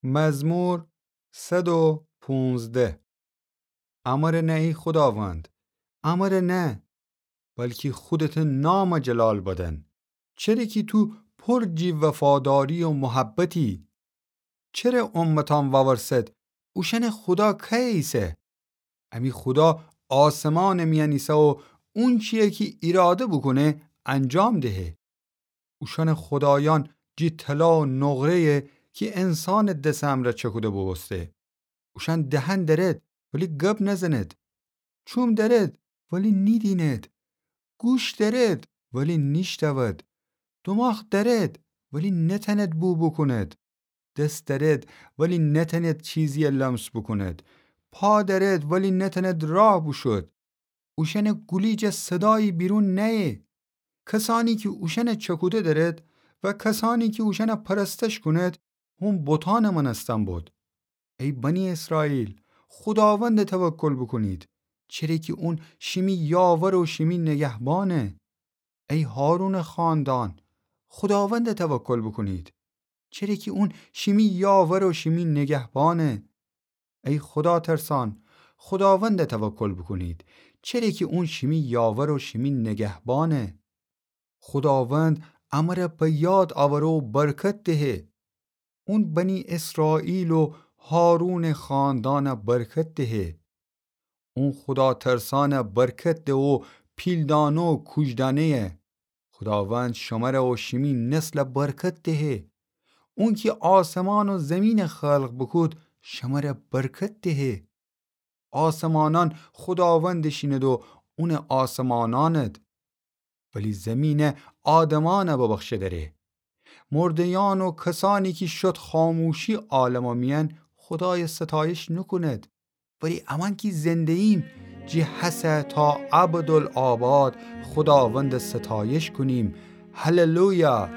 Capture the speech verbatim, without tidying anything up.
مزمور صد و پونزده. امره نه ای خوداوند، امره نه، بلکی خودته نامه جلال بدن. چره کی تو پر جی وفاداری و محبتی. چره امتان وورسد، اوشأنه خودا کیه ایسه؟ امی خودا آسمانٚ میأن ایسه و اونچیی کی ایراده بوکونه انجام دهه. اوشأنٚ خودایأن جی طلا و نقره‌یه کی انسانٚ دسٚ امرأ چکوده بوبوسته. اوشأن دهن دأرد ولی گب نزند. چوم دأرد ولی نیدیند. گوش دأرد ولی نیشتأود. دوماخ دأرد ولی نتأند بو بوکوند. دس دأرد ولی نتأند چیزیی لمس بوکوند. پا دأرد ولی نتأند راه بوشود. اوشأنٚ گولی جا صدایی بیرون نأیه. کسأنی کی اوشأنه چکوده دأرد و کسأنی کی اوشأنه پرستش کونید، هون بتأنٚ مأنستن بود. ای بنی اسرائیل، خوداونده توکل بوکونید، چره کی اون شیمی یاور و شیمی نگهبانه. ای هارونٚ خاندان، خوداونده توکل بوکونید، چره کی اون شیمی یاور و شیمی نگهبانه. ای خوداترسأن، خوداونده توکل بوکونید، چره کی اون شیمی یاور و شیمی نگهبانه. خوداوند امره به یاد اوره و برکت دهه. اون بنی اسرائیل و هارونٚ خاندانه برکت دهه. اون خوداترسأنه برکت ده و پیلدأنه و کوژدأنه‌یه. خوداوند شمره و شیمی نسله برکت دهه. اون کی آسمان و زیمینه خلق بوکود، شمره برکت دهه. آسمانأن خوداوندٚ شینید و اونٚ آسمانأنید، ولی زیمینه آدمأنه ببخشه دأره. مرده‌یأن و کسأنی کی شد خاموشی عالمٚ میأن، خودایه ستایش نوکونید. ولی امأن کی زنده‌ییم، جی هسه تا ابدالآباد خوداونده ستایش کونیم. هللویا!